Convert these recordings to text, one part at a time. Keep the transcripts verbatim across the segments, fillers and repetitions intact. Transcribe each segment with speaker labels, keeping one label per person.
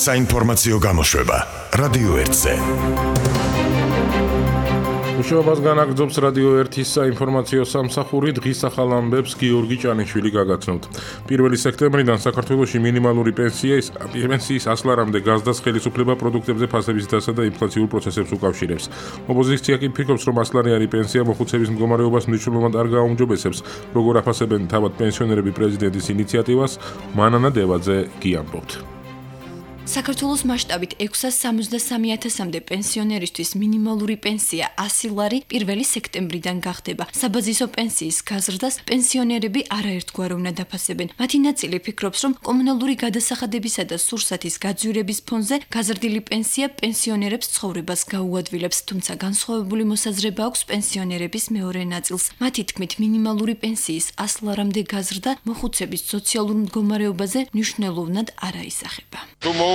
Speaker 1: საინფორმაციო გამოშვება რადიო ერთზე.
Speaker 2: მუშაობას განაგრძობს რადიო ერთის საინფორმაციო სამსახური. დღის ახალ ამბებს გიორგი ჭანიშვილი გაგაცნობთ. პირველი სექტემბრიდან საქართველოში მინიმალური პენსიის პენსიის ასლარამდე გაზდას ხელისუფლება პროდუქტებზე ფასების დასა და ინფლაციურ პროცესებს უკავშირებს. ოპოზიცია კი ფიქრობს, რომ ასლარიანი პენსია მოხუცების მდგომარეობას მნიშვნელოვნად არ გააუმჯობესებს. როგორ აფასებენ თავად პენსიონერები პრეზიდენტის ინიციატივას, მანანა დევაძე გიამბობთ.
Speaker 3: საქართველოს მასშტაბით ექვსას სამოცდასამი ათასამდე პენსიონერისთვის მინიმალური პენსია ასი ლარი პირველი სექტემბრიდან გახდება. საბაზისო პენსიის გაზრდას პენსიონერები არაერთგვარ უნდა დაფასებენ. მათი ნაწილი ფიქრობს, რომ კომუნალური გადასახადებისა და სურსათის გაძვირების ფონზე გაზრდილი პენსია პენსიონერებს ცხოვრებას გაუადვილებს, თუმცა განსხვავებული მოსაზრება აქვს პენსიონერების მეორე ნაწილს. მათი თქმით, მინიმალური პენსიის ასი ლარამდე გაზრდა მოხუცების სოციალურ მდგომარეობაზე მნიშვნელოვნად არ აისახება.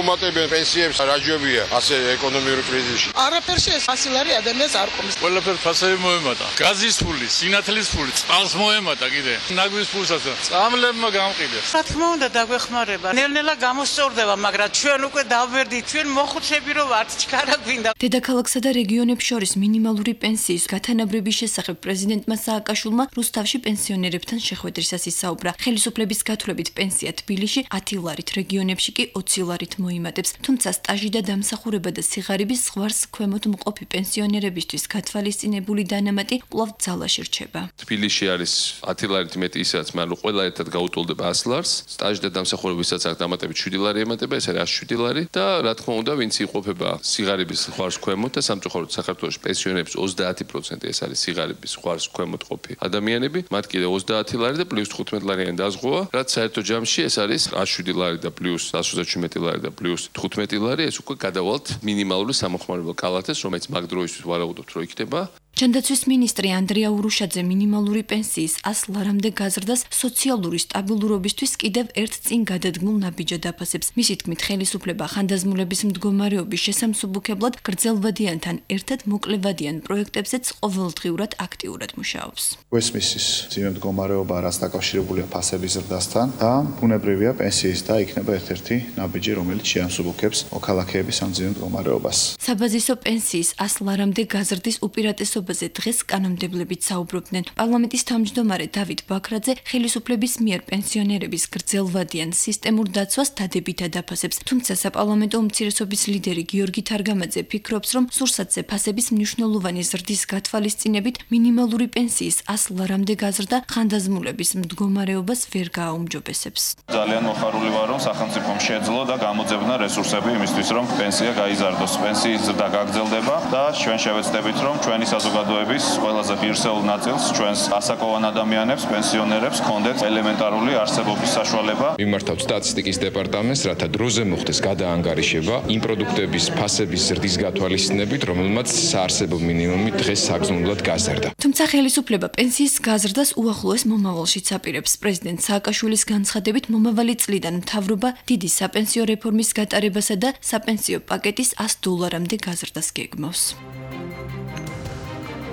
Speaker 4: მოუმატებენ პენსიებს რაჯობია ასე ეკონომიური კრიზისში.
Speaker 5: არაფერში ეს ასი ლარი ადამიანს არ ყომს.
Speaker 6: ყველაფერ ფასები მოემატა. გაზის ფული, სინათლის ფული, წყალს მოემატა კიდე. ნაგვის ფულსაც წამლებმა გამყიდეს.
Speaker 5: რა თქმა უნდა დაგვეხმარება. ნელ-ნელა გამოსწორდება, მაგრამ ჩვენ უკვე დავვერდით, ჩვენ მოხუცები რო ვართ, ჩქარა გვინდა.
Speaker 3: დედაქალაქსა და რეგიონებს შორის მინიმალური პენსიის გათანაბრების შესახებ პრეზიდენტმა სააკაშვილმა რუსთავში პენსიონერებთან შეხვედრისას ისაუბრა. ხელისუფლების გათვლებით პენსია თბილისში ათი ლარით, რეგიონებში კი ოცი ლარით მოიმატებს, თუმცა სტაჟი და დამსახურება და სიღარიბის ზღვარს ქვემოთ მყოფი პენსიონერებისთვის გათვალისწინებული დანამატი კვლავ ძალაში რჩება.
Speaker 7: თბილისში არის ათი ლარით მეტი ისედაც, მაგრამ ყველა ერთად გაუტოლდება ასი ლარს, სტაჟი და დამსახურებისაც აქ დამატებით შვიდი ლარი ემატება, ეს არის შვიდი ლარი და რა თქმა უნდა, ვინც იყოფება სიღარიბის ზღვარს ქვემოთ და სამწუხაროდ საქართველოს პენსიონერებს ოცდაათი პროცენტი ეს არის სიღარიბის ზღვარს ქვემოთ ყოფი ადამიანები, მათ კიდე ოცდაათი ლარი და პლუს თხუთმეტი ლარიანი დაზღვევა, რაც საერთო ჯამში ეს არის ათი შვიდი ლარი და პლუს ათი ოცდაშვიდი ლარი და პლუს თხუთმეტი ლარი, ეს უკვე გადავალთ მინიმალური სამოხმარებელ კალათეს, რომელიც მაგ დროისთვის ვარაუდობთ, რომ იქნება.
Speaker 3: ჯანდაცვის მინისტრი ანდრია ურუშაძე მინიმალური პენსიის ასი ლარამდე გაზრდას სოციალური სტაბილურობისთვის კიდევ ერთ წინ გადადგმულ ნაბიჯად აფასებს. მისი თქმით, ხელისუფლება ხანდაზმულების მდგომარეობის შესამსუბუქებლად გრძელვადიანთან ერთად მოკლევადიან პროექტებზეც ყოველდღიურად აქტიურად მუშაობს.
Speaker 8: ვესმისის ძიმე მდგომარეობა რაც დაკავშირებულია ფასების ზრდასთან და ბუნებრივია პენსიის და იქნება ერთ-ერთი ნაბიჯი, რომელიც შეამსუბუქებს მოქალაქეების ამ ძიმე მდგომარეობას.
Speaker 3: საბაზისო პენსიის ასი ლარამდე გაზრდის უპირატესობა დღეს კანონმდებლებით საუბრობდნენ. პარლამენტის თავმჯდომარე დავით ბაქრაძე ხელისუფლების მიერ პენსიონერების გრძელვადიან სისტემურ დაცვას დადებითად აფასებს. თუმცა საპარლამენტო უმცირესობის ლიდერი გიორგი თარგამაძე ფიქრობს, რომ სურსათზე ფასების მნიშვნელოვანი ზრდის გათვალისწინებით მინიმალური პენსიის ასი ლარამდე გაზრდა ხანდაზმულების მდგომარეობას ვერ გააუმჯობესებს.
Speaker 9: ძალიან მოხარული ვარ, რომ სახელმწიფომ შეძლო და გამოძებნა რესურსები იმისთვის, რომ პენსია გაიზარდოს. პენსიის ზრდა გაგრძელდება და ჩვენ შევეცდებით, რომ ჩვენი საზოგადოების ყველაზე ღირსეულ ნაწილს, ჩვენს ასაკოვან ადამიანებს, პენსიონერებს ჰქონდეთ ელემენტარული არსებობის საშუალება.
Speaker 10: მიმართავთ სტატისტიკის დეპარტამენტს, რათა დროზე მოხდეს გადაანგარიშება იმ პროდუქტების ფასების ზრდის გათვალისწინებით, რომელმაც საარსებო მინიმუმი დღეს საგრძნობლად გაზარდა.
Speaker 3: თუმცა ხელისუფლება პენსიის გაზრდას უახლოეს მომავალშიც აპირებს. პრეზიდენტ სააკაშვილის განცხადებით, მომავალი წლიდან მთავრობა დიდი საპენსიო რეფორმის გატარებასა და საპენსიო პაკეტის ასი დოლარამდე გაზრდას გეგმავს.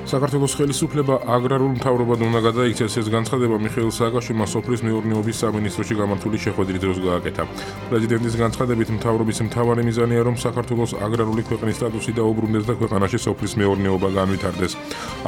Speaker 2: საქართველოს ხელისუფლება აგრარულ მთავრობად უნდა გადაიქცეს. ეს განცხადება მიხეილ სააკაშვილმა სოფლის მეურნეობის სამინისტროში გამართული შეხვედრის დროს გააკეთა. პრეზიდენტის განცხადებით, მთავრობის მთავარი მიზანია, რომ საქართველოს აგრარული ქვეყნის სტატუსი დაუბრუნდეს და ქვეყანაში სოფლის მეურნეობა განვითარდეს.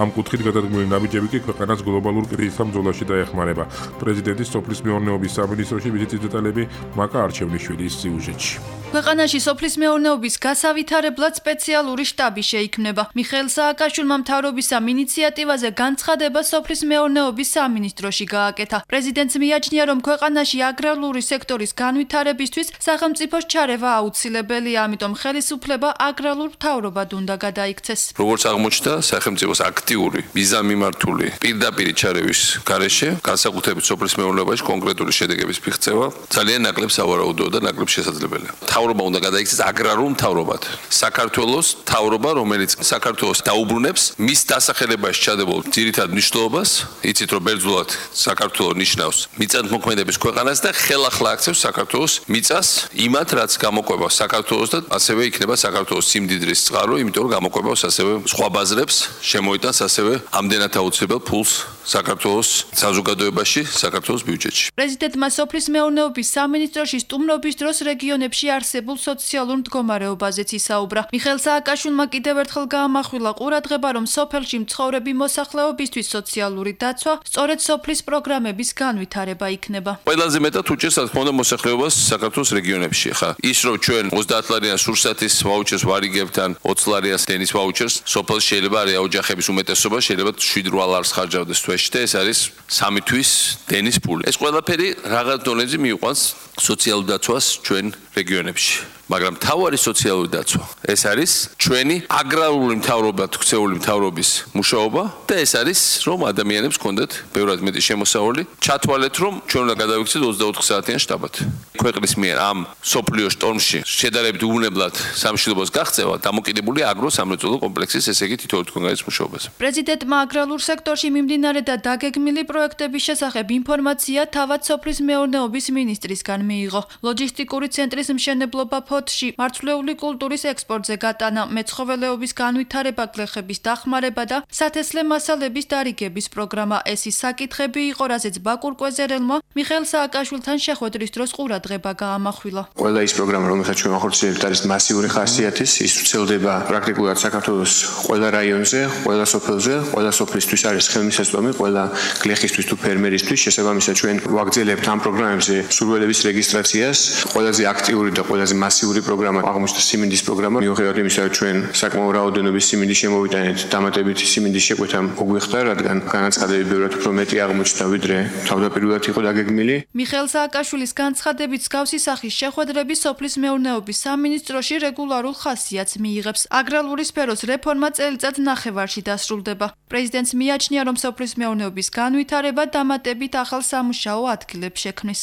Speaker 2: ამ კუთხით გადადგმული ნაბიჯები კი ქვეყანას გლობალურ კრიზისთან ბრძოლაში დაეხმარება. პრეზიდენტის სოფლის მეურნეობის სამინისტროში ვიზიტის დეტალები მაკა არჩევნიშვილის სიუჟეტში.
Speaker 11: ქვეყანაში სოფლის მეურნეობის გასავითარებლად სპეციალური შტაბი შეიქმნება. მიხეილ სააკაშვილმა მთავრობის ამ ინიციატივაზე განცხადება სოფლის მეურნეობის სამინისტროში გააკეთა. პრეზიდენტს მიაჩნია, რომ ქვეყანაში აგრარული სექტორის განვითარებისთვის სახელმწიფოს ჩარევა აუცილებელია, ამიტომ ხელისუფლება აგრარულ მთავრობად უნდა გადაიქცეს.
Speaker 7: როგორც აღმოჩნდა, სახელმწიფოს აქტიური, მიზანმიმართული პირდაპირი ჩარევის გარეშე, განსაკუთრებით სოფლის მეურნეობაში კონკრეტული შედეგების მიღწევა ძალიან ნაკლებ სავარაუდოა და ნაკლებ შესაძლებელია. მთავრობა უნდა გადაიქცეს აგრარულ მთავრობად. საქართველოს მთავრობა, რომელიც საქართველოს დაუბრუნებს მის დასახელებაში ჩადებულ ძირითად მნიშვნელობას, იცით რომ ბერძნულად საქართველოს ნიშნავს მიწათმოქმედების ქვეყანას და ხელახლა აქცევს საქართველოს მიწას იმათ, რაც გამოყვება საქართველოს და ასევე იქნება საქართველოს სიმდიდრის წყარო, იმიტომ რომ გამოყვებას ასევე სხვა ბაზრებს შემოიტანს ასევე ამდენად აუცილებელ ფულს საქართველოს საზოგადოებაში, საქართველოს ბიუჯეტში.
Speaker 11: პრეზიდენტმა სოფლის მეურნეობის სამინისტროში სტუმრობის დროს რეგიონებში არსებულ სოციალურ მდგომარეობაზეც ისაუბრა. მიხეილ სააკაშვილმა კიდევ ერთხელ გაამახვილა ყურადღება, რომ სოფელში მცხოვრები მოსახლეობისთვის სოციალური დაცვა სწორედ სოფლის პროგრამების განვითარება იქნება.
Speaker 7: ყველაზე მეტად უჭერს რა თქმა უნდა მოსახლეობას საქართველოს რეგიონებში. ხა ის რომ ჩვენ ოცდაათ ლარიანს სურსათის ვაუჩერს ვარიგებთ ან ოცი ლარიანს დენის ვაუჩერს, სოფელში შეიძლება არის ოჯახების უმეტესობა შეიძლება შვიდ რვა ლარს ხარჯავდეს თვეში და ეს არის სამი თვის დენის პული. ეს ყველაფერი რაღაც დონეზე მიიყვანს სოციალურ დაცვას ჩვენ რეგიონებში. მაგრამ თავარი სოციალური დაცვა ეს არის ჩვენი აგრარული მთავრობა, ქცეული მთავრობის მუშაობა და ეს არის რომ ადამიანებს კონდეთ ბევრად მეტი შემოსავალი, ჩათვალეთ რომ ჩვენ უნდა გადავიქცეთ ოცდაოთხ საათიან შტაბად. ქვეყნის მიერ ამ სოფლიო შტორმში შედარებით უვნებლად სამშობლოს გაღწევა დამოკიდებულია აგრო-სამრეწველო კომპლექსის ესე იგი თითოეულ თქვენგანის მუშაობაზე.
Speaker 11: პრეზიდენტმა აგრარულ სექტორში მიმდინარე და დაგეგმილი პროექტების შესახებ ინფორმაცია თავად სოფლის მეურნეობის მინისტრისგან მიიღო. ლოჯისტიკური ცენტრის მშენებლობა ფოთში, მარცვლეული კულტურის ექსპორტზე გატანა, მეცხოველეობის განვითარება, გლეხების დახმარება და სათესლე მასალების დარიგების პროგრამა. ეს ის საკითხები იყო, რაზეც ბაკურ კვეზერელმა მიხეილ სააკაშვილთან შეხვედრის დროს ყურადღება გაამახვილა.
Speaker 12: ყველა ის პროგრამა, რომელსაც ჩვენ ახორციელებთ, არის მასიური ხასიათის, ის ვრცელდება პრაქტიკულად საქართველოს ყველა რაიონზე, ყველა სოფელზე, ყველა სოფლისთვის არის ხელმისაწვდომი, ყველა გლეხისთვის თუ ფერმერისთვის. შესაბამისად ჩვენ ვაგრძელებთ ამ პროგრამებზე სურვილების რეგისტრაციას. ყველაზე აქტიური და ყველაზე მასიური პროგრამა აღმოჩნდა სიმინდის პროგრამა. მიუხედავად იმისა, რომ ჩვენ საკმაო რაოდენობის სიმინდი შემოვიტანეთ, დამატებითი სიმინდის შეკვეთა მოგვიხდა, რადგან განაცხადები ბევრად უფრო მეტი აღმოჩნდა, ვიდრე თავდაპირველად იყო დაგეგმილი.
Speaker 11: მიხეილ სააკაშვილის განცხადებით მსგავსი სახის შეხვედრები სოფლის მეურნეობის სამინისტროში რეგულარულ ხასიათს მიიღებს. აგრარული სფეროს რეფორმა წელიწად ნახევარში დასრულდება. პრეზიდენტს მიაჩნია, რომ სოფლის მეურნეობის განვითარება დამატებით ახალ სამუშაო ადგილებს შექმნის.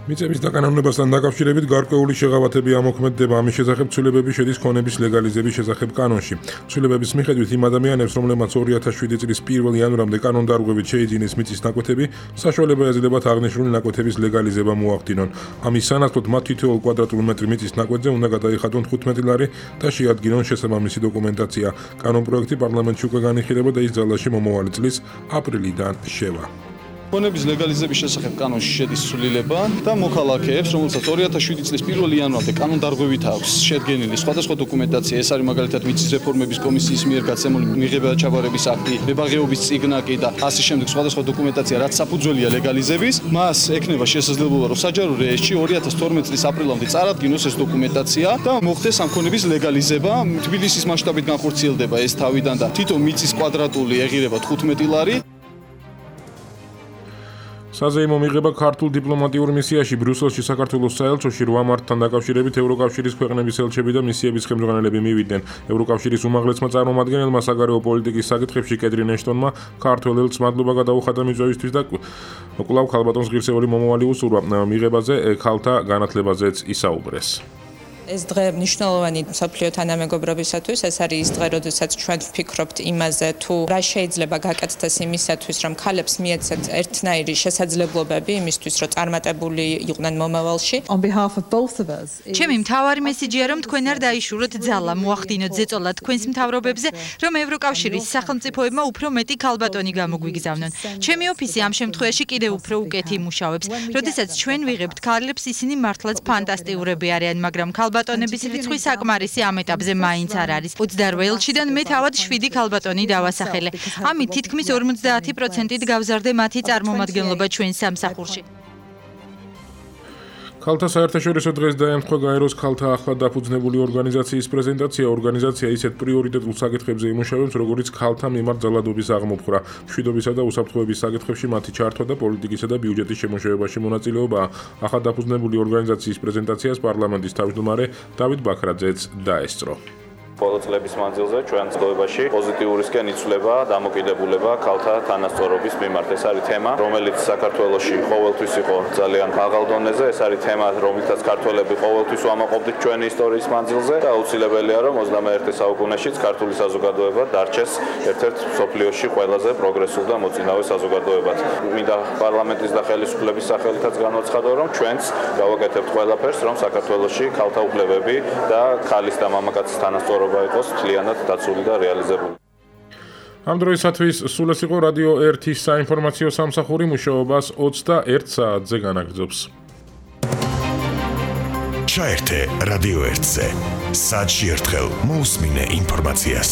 Speaker 2: მიწების დაკანონებასთან დაკავშირებით გარკვეული შეღავათები ამოქმედდება. ამის შესახებ ცვლილებები შედის ქონების ლეგალიზების შესახებ კანონში. ცვლილებების მიხედვით იმ ადამიანებს, რომლებმაც ორი ათას შვიდი წლის პირველი იანვრამდე კანონდარღვევით შეიძინეს მიწის ნაკვეთები, საშუალება ეძლებათ აღნიშნული ნაკვეთების ლეგალიზება მოახდინონ. ამის სანაცვლოდ მათ თითოეულ კვადრატულ მეტრი მიწის ნაკვეთზე უნდა გადაიხადონ თხუთმეტი ლარი და შეადგინონ შესაბამისი დოკუმენტაცია. კანონპროექტი პარლამენტში უკვე განიხილება და ის ძალაში მომავალი წლის აპრილიდან შევა.
Speaker 13: ქონების ლეგალიზების შესახებ კანონში შედის ცვლილება და მოქალაქეებს, რომელსაც ორი ათას შვიდი წლის პირველი იანვრამდე კანონდარღვევით აქვს შედგენილი სხვადასხვა დოკუმენტაცია, ეს არის მაგალითად მიწის რეფორმების კომისიის მიერ გაცემული მიღება-ჩაბარების აქტი, მებაღეობის წიგნაკი და ასე შემდეგ სხვადასხვა დოკუმენტაცია, რაც საფუძველია ლეგალიზების, მას ექნება შესაძლებლობა, რომ საჯარო რეესტრში ორი ათას თორმეტი წლის აპრილამდე წარადგინოს ეს დოკუმენტაცია და მოხდეს ამ ქონების ლეგალიზება. თბილისის მასშტაბით განხორციელდება ეს თავიდან და თითო მიწის კვადრატული ეღირება თხუთმეტი ლარი.
Speaker 2: საზეიმო მიღება ქართულ დიპლომატიურ მისიაში ბრიუსელში საქართველოს საელჩოში რვა მარტთან დაკავშირებით ევროკავშირის ქვეყნების ელჩები და მისიების ხელმძღვანელები მივიდნენ. ევროკავშირის უმაღლესმა წარმომადგენელმა საგარეო პოლიტიკის საკითხებში კეტრინ ეშტონმა ქართველ ელჩს მადლობა გადაუხადა მიწვევისთვის და კვლავ ქალბატონს ღირსეული მომავალი უსურვა. მიღებაზე ქალთა განათლებაზეც ისაუბრეს.
Speaker 14: ეს დღე მნიშვნელოვანი მსოფლიო თანამეგობრობისათვის, ეს არის ის დღე, როდესაც ჩვენ ვფიქრობთ იმაზე, თუ რა შეიძლება გაკეთდეს იმისათვის, რომ ქალებს მიეცეთ ერთნაირი შესაძლებლობები იმისთვის, რომ წარმატებული იყვნენ მომავალში.
Speaker 15: ჩემი მთავარი მესიჯია, რომ თქვენ არ დაიშუროთ ძალა, მოახდინოთ ზეწოლა თქვენს მთავრობებზე, რომ ევროკავშირის სახელმწიფოებმა უფრო მეტი ქალბატონი გამოგვიგზავნონ. ჩემი ოფისი ამ შემთხვევაში კიდევ უფრო უკეთი იმუშავებს. როდესაც ჩვენ ვიღებთ ქალებს, ისინი მართლაც ფანტასტიურები არიან, მაგრამ ქალბატონების რიცხვი საკმარისი ამ ეტაპზე მაინც არ არის. ოცდაოთხ ელჩიდან მე თავად შვიდი ქალბატონი დავასახელე. ამით თითქმის ორმოცდაათი პროცენტით გავზარდე მათი წარმომადგენლობა ჩვენ სამსახურში.
Speaker 2: ქალთა საერთაშორისო დღეს დაემთხვა გაეროს ქალთა ახლად დაფუძნებული ორგანიზაციის პრეზენტაცია. ორგანიზაცია ისეთ პრიორიტეტულ საკითხებზე იმუშავებს, როგორიც ქალთა მიმართ ძალადობის აღმოფხვრა, მშვიდობისა და უსაფრთხოების საკითხებში მათი ჩართვა და პოლიტიკისა და ბიუჯეტის შემოშევებაში მონაწილეობა. ახლად დაფუძნებული ორგანიზაციის პრეზენტაციას პარლამენტის თავმჯდომარე დავით ბაქრაძეც დაესწრო.
Speaker 9: ბოლო წლების მანძილზე ჩვენ ცხოვრებაში პოზიტიურისკენ იცვლება დამოკიდებულება ქალთა თანასწორობის მიმართ. ეს არის თემა, რომელიც საქართველოში ყოველთვის იყო ძალიან მაღალ დონეზე. ეს არის თემა, რომელთაც ქართველები ყოველთვის ვამაყობდით ჩვენი ისტორიის მანძილზე და აუცილებელია, რომ ოცდამეერთე საუკუნეშიც ქართული საზოგადოება დარჩეს ერთ-ერთ მსოფლიოში ყველაზე პროგრესულ და მოწინავე საზოგადოებად. მინდა პარლამენტის და ხელისუფლების სახელითაც განვაცხადო, რომ ჩვენც გავაკეთებთ ყველაფერს, რომ საქართველოში ქალთა უფლებები და ქალის და მამაკაცის თანასწორობა იყოს მთლიანად დაცული და რეალიზებული.
Speaker 2: ამ დროისათვის სულ ეს იყო რადიო ერთის საინფორმაციო სამსახური მუშაობას ოცდაერთ საათზე განაგრძობს.
Speaker 1: ჩაერთე რადიო ერთზე. საათში ერთხელ მოусმინე ინფორმაციას.